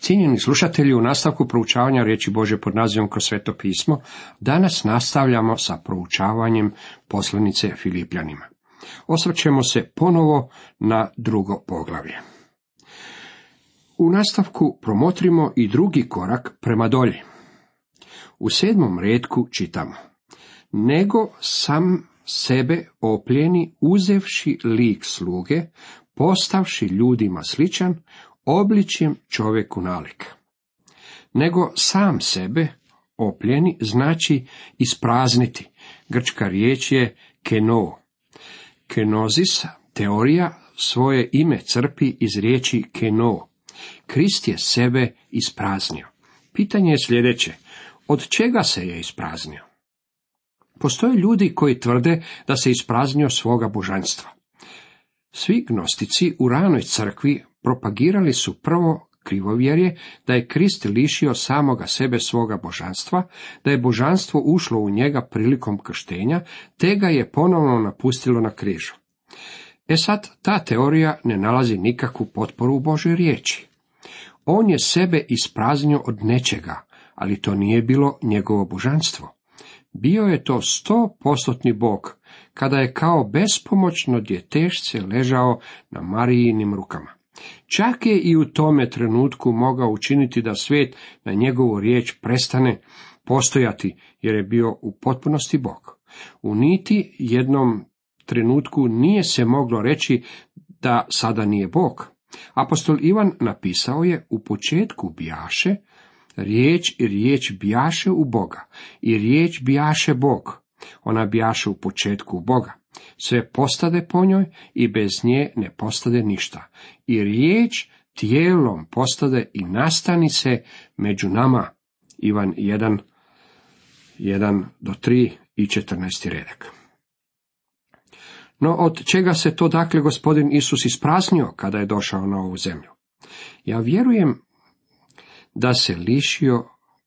Cijenjeni slušatelji, u nastavku proučavanja riječi Božje pod nazivom Kroz Sveto pismo, danas nastavljamo sa proučavanjem poslanice Filipljanima. Osvrćemo se ponovo na drugo poglavlje. U nastavku promotrimo i drugi korak prema dolji. U 7. retku čitamo: nego sam sebe opljeni, uzevši lik sluge, postavši ljudima sličan, obličjem čovjeku nalik. Nego sam sebe opljeni znači isprazniti. Grčka riječ je keno. Kenozis, teorija, svoje ime crpi iz riječi keno. Krist je sebe ispraznio. Pitanje je sljedeće: od čega se je ispraznio? Postoje ljudi koji tvrde da se ispraznio svoga božanstva. Svi gnostici u ranoj crkvi propagirali su prvo krivovjerje da je Krist lišio samoga sebe svoga božanstva, da je božanstvo ušlo u njega prilikom krštenja, te ga je ponovno napustilo na križu. Sad, ta teorija ne nalazi nikakvu potporu u Božoj riječi. On je sebe ispraznio od nečega, ali to nije bilo njegovo božanstvo. Bio je to 100% Bog, kada je kao bespomoćno djetešce ležao na Marijinim rukama. Čak je i u tome trenutku mogao učiniti da svijet na njegovu riječ prestane postojati, jer je bio u potpunosti Bog. U niti jednom trenutku nije se moglo reći da sada nije Bog. Apostol Ivan napisao je: u početku bijaše riječ i riječ bijaše u Boga i riječ bijaše Bog. Ona bijaše u početku u Boga. Sve postade po njoj i bez nje ne postade ništa. I riječ tijelom postade i nastani se među nama. Ivan 1:1-3 i 14. redak. No od čega se to dakle Gospodin Isus ispraznio kada je došao na ovu zemlju? Ja vjerujem da se lišio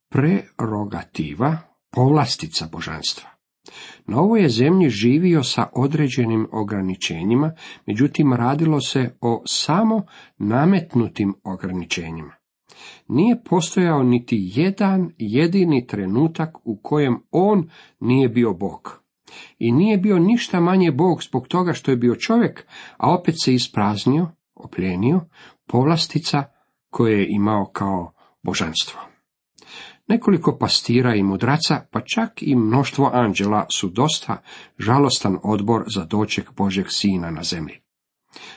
prerogativa, povlastica božanstva. Na ovoj je zemlji živio sa određenim ograničenjima, međutim radilo se o samo nametnutim ograničenjima. Nije postojao niti jedan jedini trenutak u kojem on nije bio Bog. I nije bio ništa manje Bog zbog toga što je bio čovjek, a opet se ispraznio, opljenio, povlastica koje je imao kao božanstvo. Nekoliko pastira i mudraca, pa čak i mnoštvo anđela su dosta žalostan odbor za doček Božjeg Sina na zemlji.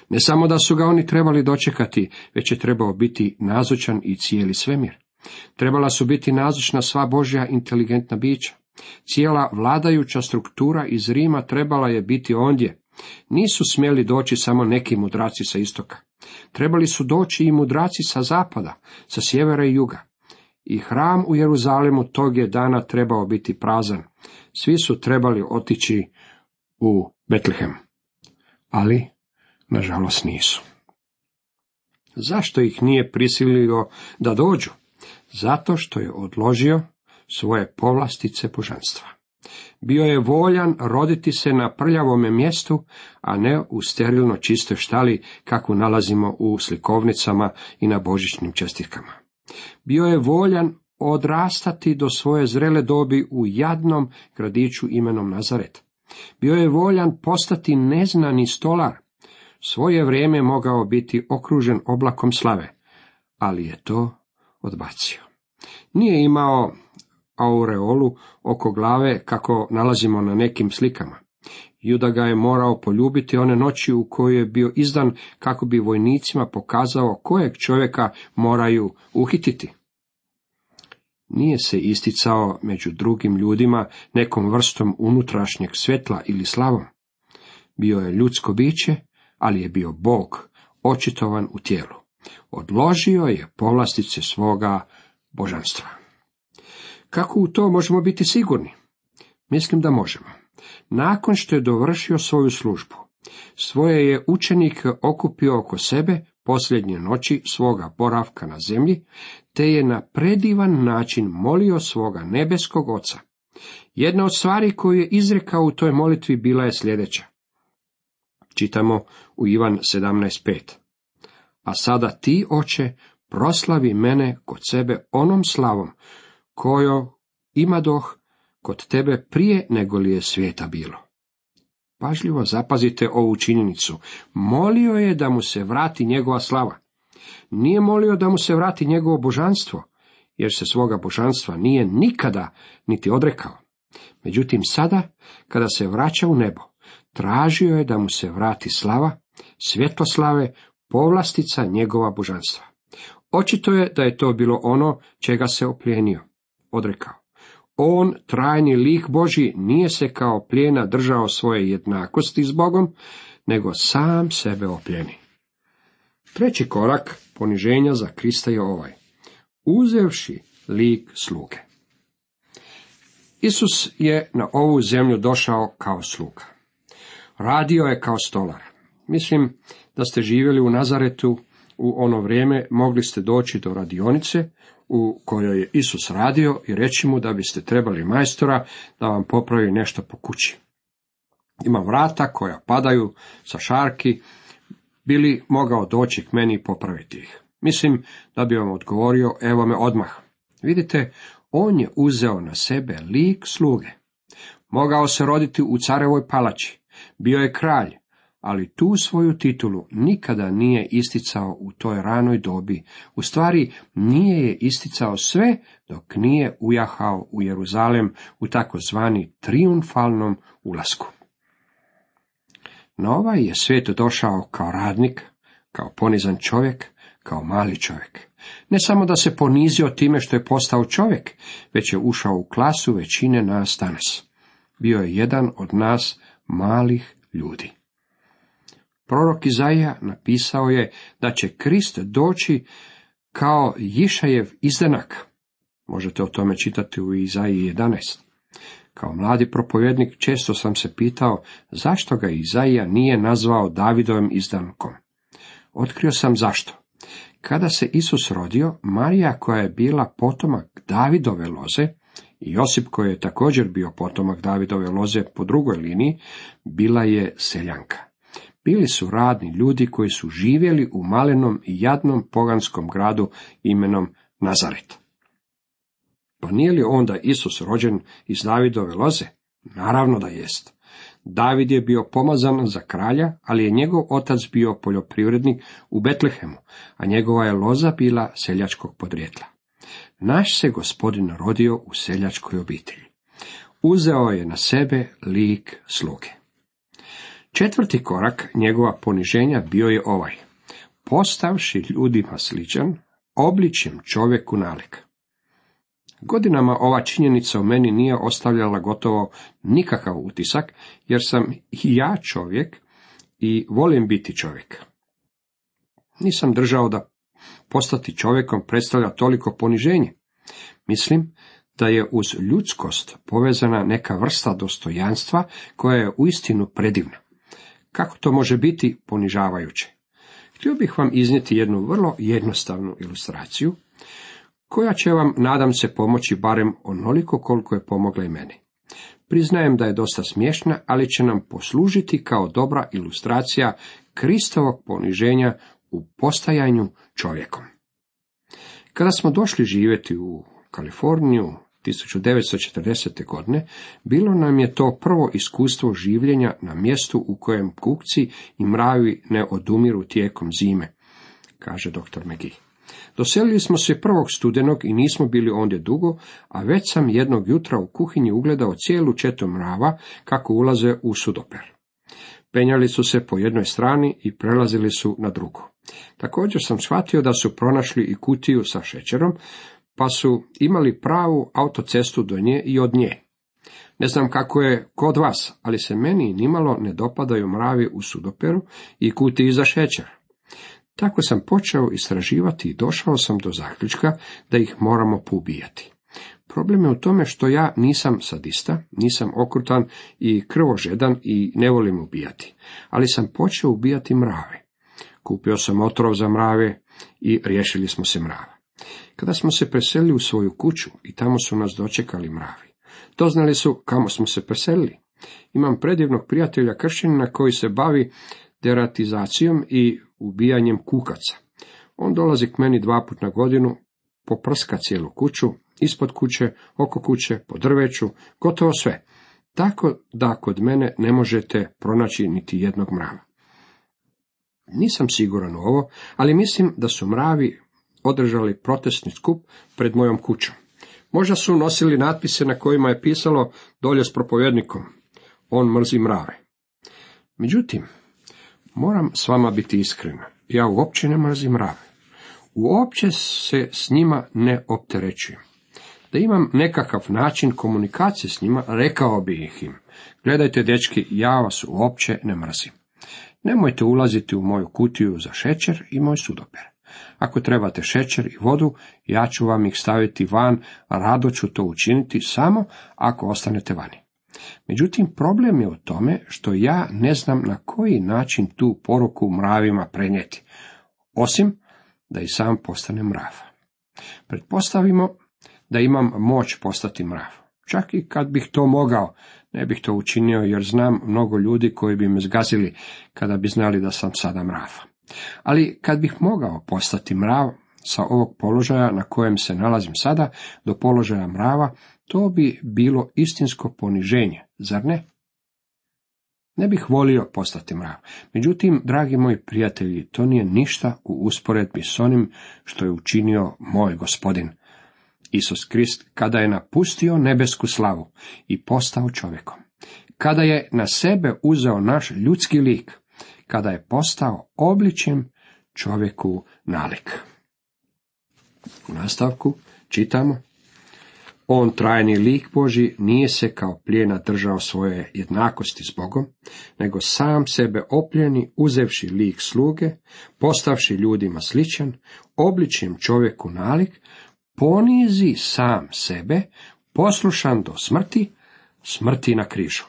Ne samo da su ga oni trebali dočekati, već je trebao biti nazočan i cijeli svemir. Trebala su biti nazočna sva Božja inteligentna bića. Cijela vladajuća struktura iz Rima trebala je biti ondje. Nisu smjeli doći samo neki mudraci sa istoka. Trebali su doći i mudraci sa zapada, sa sjevera i juga. I hram u Jeruzalemu tog je dana trebao biti prazan. Svi su trebali otići u Betlehem. Ali, nažalost, nisu. Zašto ih nije prisilio da dođu? Zato što je odložio svoje povlastice božanstva. Bio je voljan roditi se na prljavome mjestu, a ne u sterilno čistoj štali, kakvu nalazimo u slikovnicama i na božićnim čestitkama. Bio je voljan odrastati do svoje zrele dobi u jadnom gradiću imenom Nazaret. Bio je voljan postati neznani stolar. Svoje vrijeme mogao biti okružen oblakom slave, ali je to odbacio. Nije imao aureolu oko glave kako nalazimo na nekim slikama. Juda ga je morao poljubiti one noći u kojoj je bio izdan kako bi vojnicima pokazao kojeg čovjeka moraju uhititi. Nije se isticao među drugim ljudima nekom vrstom unutrašnjeg svjetla ili slavom. Bio je ljudsko biće, ali je bio Bog, očitovan u tijelu. Odložio je povlastice svoga božanstva. Kako u to možemo biti sigurni? Mislim da možemo. Nakon što je dovršio svoju službu, svoje je učenike okupio oko sebe posljednje noći svoga boravka na zemlji, te je na predivan način molio svoga nebeskog Oca. Jedna od stvari koju je izrekao u toj molitvi bila je sljedeća. Čitamo u Ivan 17:5. A sada ti, Oče, proslavi mene kod sebe onom slavom, koju imadoh kod tebe prije nego li je svijeta bilo. Pažljivo zapazite ovu činjenicu. Molio je da mu se vrati njegova slava. Nije molio da mu se vrati njegovo božanstvo, jer se svoga božanstva nije nikada niti odrekao. Međutim, sada, kada se vraća u nebo, tražio je da mu se vrati slava, svjetlo slave, povlastica njegova božanstva. Očito je da je to bilo ono čega se oplijenio, odrekao. On, trajni lik Božji, nije se kao plijena držao svoje jednakosti s Bogom, nego sam sebe oplijeni. Treći korak poniženja za Krista je ovaj: uzevši lik sluge. Isus je na ovu zemlju došao kao sluga. Radio je kao stolar. Mislim da ste živjeli u Nazaretu u ono vrijeme, mogli ste doći do radionice u kojoj je Isus radio i reći mu da biste trebali majstora da vam popravi nešto po kući. Ima vrata koja padaju sa šarki, bi li mogao doći k meni i popraviti ih? Mislim da bi vam odgovorio, evo me odmah. Vidite, on je uzeo na sebe lik sluge. Mogao se roditi u carevoj palači, bio je kralj, ali tu svoju titulu nikada nije isticao u toj ranoj dobi. U stvari, nije je isticao sve dok nije ujahao u Jeruzalem u takozvani trijumfalnom ulasku. Na ovaj je svijet došao kao radnik, kao ponizan čovjek, kao mali čovjek. Ne samo da se ponizio time što je postao čovjek, već je ušao u klasu većine nas danas. Bio je jedan od nas malih ljudi. Prorok Izaija napisao je da će Krist doći kao Jišajev izdanak. Možete o tome čitati u Izaiji 11. Kao mladi propovjednik često sam se pitao zašto ga Izaija nije nazvao Davidovim izdankom. Otkrio sam zašto. Kada se Isus rodio, Marija, koja je bila potomak Davidove loze, i Josip, koji je također bio potomak Davidove loze po drugoj liniji, bila je seljanka. Bili su radni ljudi koji su živjeli u malenom i jadnom poganskom gradu imenom Nazaret. Pa nije li onda Isus rođen iz Davidove loze? Naravno da jest. David je bio pomazan za kralja, ali je njegov otac bio poljoprivrednik u Betlehemu, a njegova je loza bila seljačkog podrijetla. Naš se Gospodin rodio u seljačkoj obitelji. Uzeo je na sebe lik sluge. Četvrti korak njegova poniženja bio je ovaj: postavši ljudima sličan, obličjem čovjeku nalik. Godinama ova činjenica u meni nije ostavljala gotovo nikakav utisak, jer sam i ja čovjek i volim biti čovjek. Nisam držao da postati čovjekom predstavlja toliko poniženje. Mislim da je uz ljudskost povezana neka vrsta dostojanstva koja je uistinu predivna. Kako to može biti ponižavajuće? Htio bih vam iznijeti jednu vrlo jednostavnu ilustraciju, koja će vam, nadam se, pomoći barem onoliko koliko je pomogla i meni. Priznajem da je dosta smiješna, ali će nam poslužiti kao dobra ilustracija Kristovog poniženja u postajanju čovjekom. Kada smo došli živjeti u Kaliforniju 1940. godine, bilo nam je to prvo iskustvo življenja na mjestu u kojem kukci i mravi ne odumiru tijekom zime, kaže dr. McGee. Doselili smo se 1. studenog i nismo bili ondje dugo, a već sam jednog jutra u kuhinji ugledao cijelu četu mrava kako ulaze u sudoper. Penjali su se po jednoj strani i prelazili su na drugu. Također sam shvatio da su pronašli i kutiju sa šećerom, pa su imali pravu autocestu do nje i od nje. Ne znam kako je kod vas, ali se meni nimalo ne dopadaju mravi u sudoperu i kutiji za šećer. Tako sam počeo istraživati i došao sam do zaključka da ih moramo poubijati. Problem je u tome što ja nisam sadista, nisam okrutan i krvožedan i ne volim ubijati, ali sam počeo ubijati mrave. Kupio sam otrov za mrave i riješili smo se mrava. Kada smo se preselili u svoju kuću i tamo su nas dočekali mravi, doznali su kamo smo se preselili. Imam predivnog prijatelja kršćanina koji se bavi deratizacijom i ubijanjem kukaca. On dolazi k meni 2 puta na godinu, poprska cijelu kuću, ispod kuće, oko kuće, po drveću, gotovo sve. Tako da kod mene ne možete pronaći niti jednog mrava. Nisam siguran u ovo, ali mislim da su mravi održali protestni skup pred mojom kućom. Možda su nosili natpise na kojima je pisalo dolje s propovjednikom: on mrzi mrave. Međutim, moram s vama biti iskren, ja uopće ne mrzim mrave. Uopće se s njima ne opterećujem. Da imam nekakav način komunikacije s njima, rekao bih im: gledajte, dečki, ja vas uopće ne mrzim. Nemojte ulaziti u moju kutiju za šećer i moj sudoper. Ako trebate šećer i vodu, ja ću vam ih staviti van, a rado ću to učiniti samo ako ostanete vani. Međutim, problem je u tome što ja ne znam na koji način tu poruku mravima prenijeti, osim da i sam postanem mrav. Pretpostavimo da imam moć postati mrav. Čak i kad bih to mogao, ne bih to učinio, jer znam mnogo ljudi koji bi me zgazili kada bi znali da sam sada mrav. Ali kad bih mogao postati mrav sa ovog položaja na kojem se nalazim sada do položaja mrava, to bi bilo istinsko poniženje, zar ne? Ne bih volio postati mrav. Međutim, dragi moji prijatelji, to nije ništa u usporedbi s onim što je učinio moj Gospodin Isus Krist kada je napustio nebesku slavu i postao čovjekom. Kada je na sebe uzeo naš ljudski lik, kada je postao obličjem čovjeku nalik. U nastavku čitamo: on, trajni lik Božji, nije se kao plijena držao svoje jednakosti s Bogom, nego sam sebe opljeni, uzevši lik sluge, postavši ljudima sličan, obličjem čovjeku nalik, ponizi sam sebe, poslušan do smrti, smrti na križu.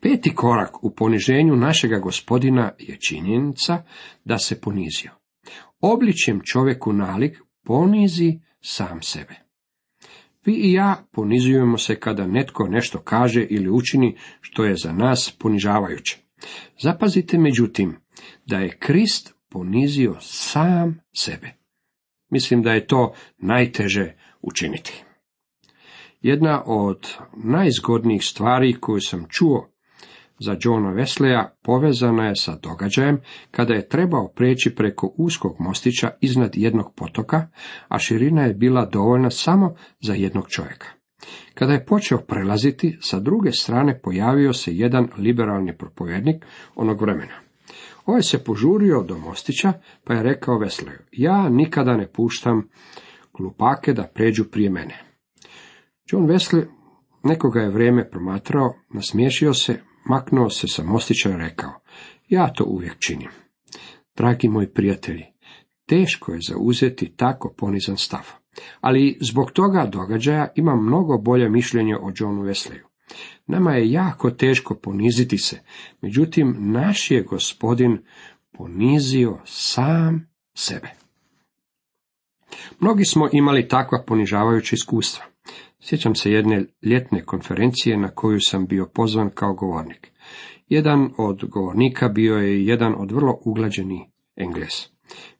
5. korak u poniženju našega Gospodina je činjenica da se ponizio. Obličjem čovjeku nalik ponizi sam sebe. Vi i ja ponizujemo se kada netko nešto kaže ili učini što je za nas ponižavajuće. Zapazite međutim da je Krist ponizio sam sebe. Mislim da je to najteže učiniti. Jedna od najzgodnijih stvari koju sam čuo za Johna Wesleya povezana je sa događajem kada je trebao preći preko uskog mostića iznad jednog potoka, a širina je bila dovoljna samo za jednog čovjeka. Kada je počeo prelaziti, sa druge strane pojavio se jedan liberalni propovjednik onog vremena. Ovaj se požurio do mostića, pa je rekao Wesleyu: ja nikada ne puštam glupake da pređu prije mene. John Wesley nekoga je vrijeme promatrao, nasmiješio se, maknuo se sa mostića i rekao: ja to uvijek činim. Dragi moji prijatelji, teško je zauzeti tako ponizan stav, ali zbog toga događaja imam mnogo bolje mišljenje o Johnu Wesleyu. Nama je jako teško poniziti se, međutim naš je Gospodin ponizio sam sebe. Mnogi smo imali takva ponižavajuća iskustva. Sjećam se jedne ljetne konferencije na koju sam bio pozvan kao govornik. Jedan od govornika bio je jedan od vrlo uglađeni Englez.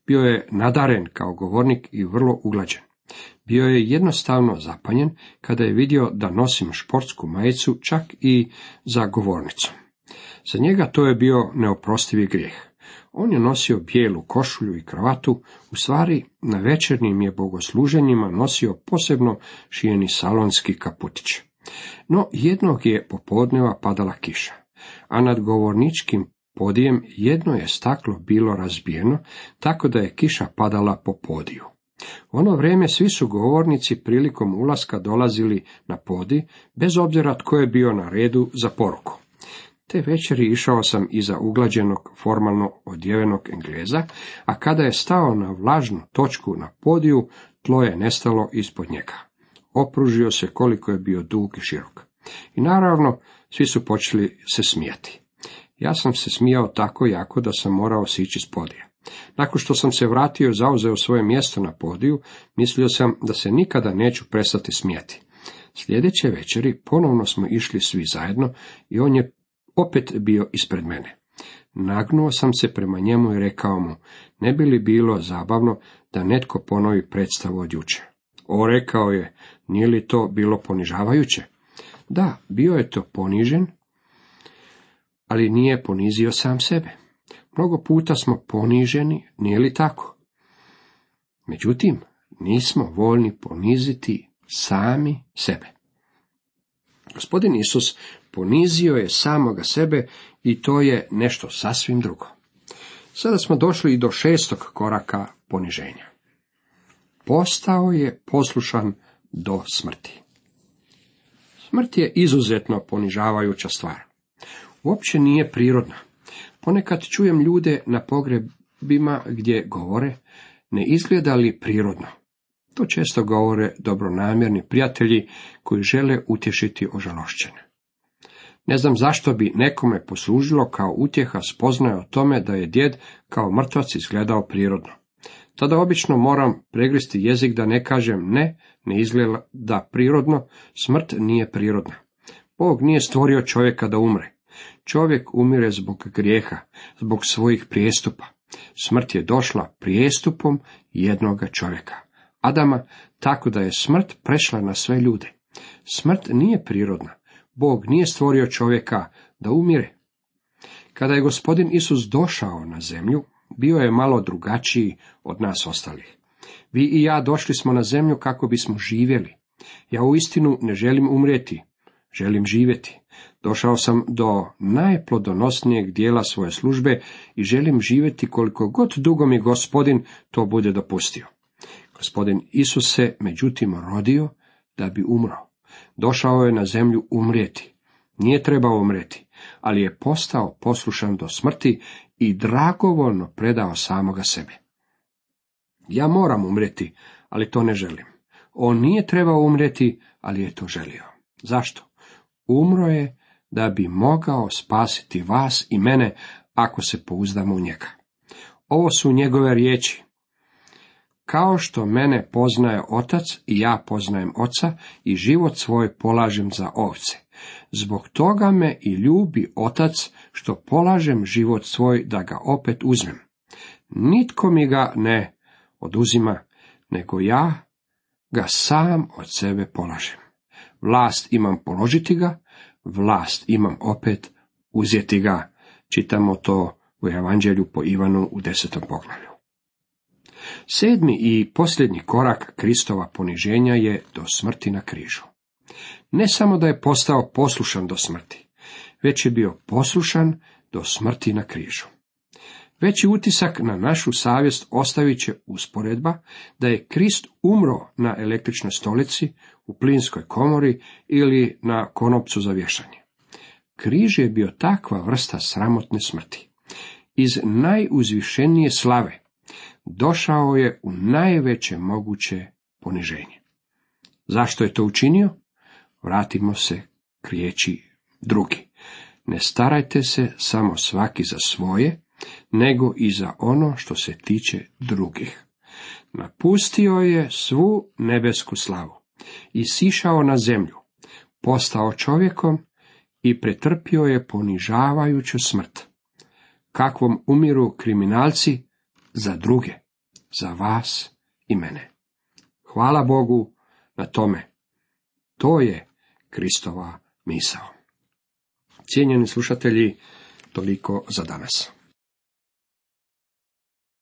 Bio je nadaren kao govornik i vrlo uglađen. Bio je jednostavno zapanjen kada je vidio da nosim športsku majicu čak i za govornicom. Za njega to je bio neoprostivi grijeh. On je nosio bijelu košulju i kravatu, u stvari na večernjim je bogosluženjima nosio posebno šijeni salonski kaputić. No jednog je popodneva padala kiša, a nad govorničkim podijem jedno je staklo bilo razbijeno, tako da je kiša padala po podiju. U ono vrijeme svi su govornici prilikom ulaska dolazili na podij, bez obzira tko je bio na redu za poruku. Te večeri išao sam iza uglađenog, formalno odjevenog Engleza, a kada je stao na vlažnu točku na podiju, tlo je nestalo ispod njega. Opružio se koliko je bio dug i širok. I naravno, svi su počeli se smijati. Ja sam se smijao tako jako da sam morao sići s podija. Nakon što sam se vratio i zauzeo svoje mjesto na podiju, mislio sam da se nikada neću prestati smijati. Sljedeće večeri ponovno smo išli svi zajedno i on je opet bio ispred mene. Nagnuo sam se prema njemu i rekao mu, ne bi li bilo zabavno da netko ponovi predstavu od jučer? O, rekao je, nije li to bilo ponižavajuće? Da, bio je to ponižen, ali nije ponizio sam sebe. Mnogo puta smo poniženi, nije li tako? Međutim, nismo voljni poniziti sami sebe. Gospodin Isus ponizio je samoga sebe i to je nešto sasvim drugo. Sada smo došli i do 6. koraka poniženja. Postao je poslušan do smrti. Smrt je izuzetno ponižavajuća stvar. Uopće nije prirodna. Ponekad čujem ljude na pogrebima gdje govore, ne izgleda li prirodno. To često govore dobronamjerni prijatelji koji žele utješiti ožalošćene. Ne znam zašto bi nekome poslužilo kao utjeha spoznaja o tome da je djed kao mrtvac izgledao prirodno. Tada obično moram pregristi jezik da ne kažem ne izgleda prirodno, smrt nije prirodna. Bog nije stvorio čovjeka da umre. Čovjek umire zbog grijeha, zbog svojih prijestupa. Smrt je došla prijestupom jednoga čovjeka, Adama, tako da je smrt prešla na sve ljude. Smrt nije prirodna. Bog nije stvorio čovjeka da umire. Kada je Gospodin Isus došao na zemlju, bio je malo drugačiji od nas ostalih. Vi i ja došli smo na zemlju kako bismo živjeli. Ja uistinu ne želim umrijeti, želim živjeti. Došao sam do najplodonosnijeg dijela svoje službe i želim živjeti koliko god dugo mi Gospodin to bude dopustio. Gospodin Isus se međutim rodio da bi umro. Došao je na zemlju umrijeti. Nije trebao umrijeti, ali je postao poslušan do smrti i dragovoljno predao samoga sebe. Ja moram umrijeti, ali to ne želim. On nije trebao umrijeti, ali je to želio. Zašto? Umro je da bi mogao spasiti vas i mene ako se pouzdamo u njega. Ovo su njegove riječi. Kao što mene poznaje otac i ja poznajem oca i život svoj polažem za ovce. Zbog toga me i ljubi otac što polažem život svoj da ga opet uzmem. Nitko mi ga ne oduzima, nego ja ga sam od sebe polažem. Vlast imam položiti ga, vlast imam opet uzeti ga. Čitamo to u Evanđelju po Ivanu u 10. poglavlju. 7. i posljednji korak Kristova poniženja je do smrti na križu. Ne samo da je postao poslušan do smrti, već je bio poslušan do smrti na križu. Veći utisak na našu savjest ostavit će usporedba da je Krist umro na električnoj stolici, u plinskoj komori ili na konopcu za vješanje. Križ je bio takva vrsta sramotne smrti. Iz najuzvišenije slave došao je u najveće moguće poniženje. Zašto je to učinio? Vratimo se k riječi drugi. Ne starajte se samo svaki za svoje, nego i za ono što se tiče drugih. Napustio je svu nebesku slavu i sišao na zemlju, postao čovjekom i pretrpio je ponižavajuću smrt. Kakvom umiru kriminalci za druge, za vas i mene. Hvala Bogu na tome. To je Kristova misao. Cijenjeni slušatelji, toliko za danas.